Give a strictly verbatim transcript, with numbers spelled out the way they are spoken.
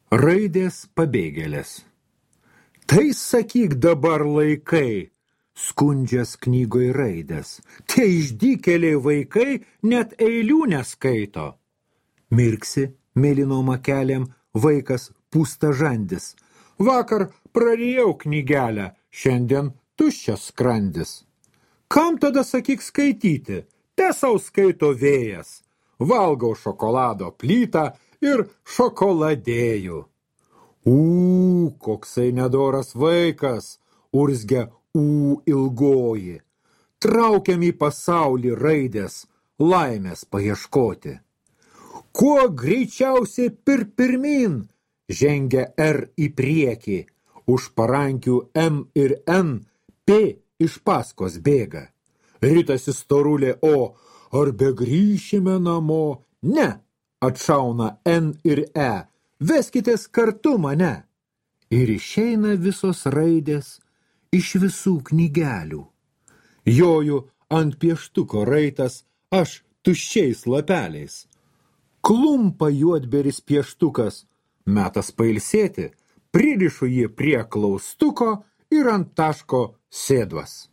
Raidės pabėgėlės. Tai sakyk dabar laikai, skundžias knygoj raidės. Tie išdykėliai vaikai net eilių neskaito. Mirksi mėlynom akelėm vaikas pūstažandis. Vakar prarijau knygelę, šiandien tuščias skrandis. Kam tada sakyk skaityti? Te sau skaito vėjas. Valgau šokolado plytą ir šokoladėjų. Ū, koksai nedoras vaikas, urzgia ū ilgoji. Traukiam į pasaulį raidės, laimės paieškoti. Kuo greičiausiai pir pirmin, žengia R į priekį, už parankių M ir N, P iš paskos bėga. Ritasi storulė O, ar begrįšime namo? Ne, atšauna N ir E, veskitės kartu mane. Ir išeina visos raidės iš visų knygelių. Joju ant pieštuko raitas, aš tuščiais lapeliais. Klumpa juodberis pieštukas, metas pailsėti, pririšu jį prie klaustuko ir ant taško sėdvas.